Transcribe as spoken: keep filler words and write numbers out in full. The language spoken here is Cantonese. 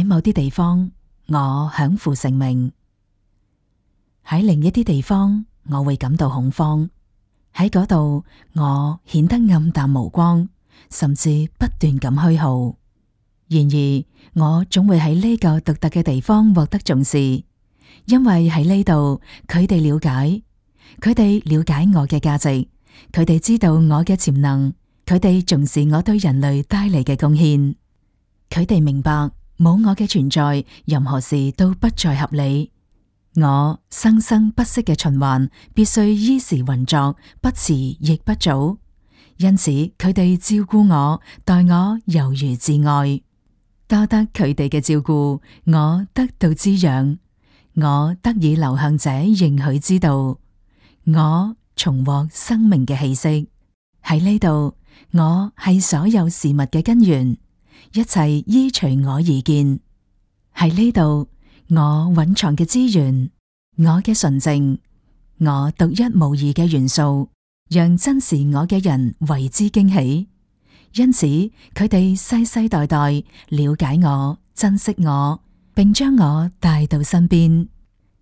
喺某啲地方，我享負盛名；喺另一啲地方，我會感到恐慌。喺嗰度，我顯得暗淡無光，甚至不斷咁虛耗。然而，我總會喺呢個獨特嘅地方獲得重視，因為喺呢度，佢哋了解，佢哋了解我嘅價值，佢哋知道我嘅潛能，佢哋重視我對人類帶嚟嘅貢獻，佢哋明白冇我嘅存在，任何事都不再合理。我生生不息嘅循環必須依時運作，不遲亦不早。因此，佢哋照顧我，待我猶如摯愛。多得佢哋嘅照顧，我得到滋養，我得以流向這應許之道，我重獲生命嘅氣息。喺呢度，我係所有事物嘅根源，一切依隨我而建。喺呢度，我蘊藏嘅資源，我嘅純淨，我獨一無二嘅元素，讓珍視我嘅人為之驚喜。因此，佢哋世世代代了解我、珍惜我，並將我帶到身邊。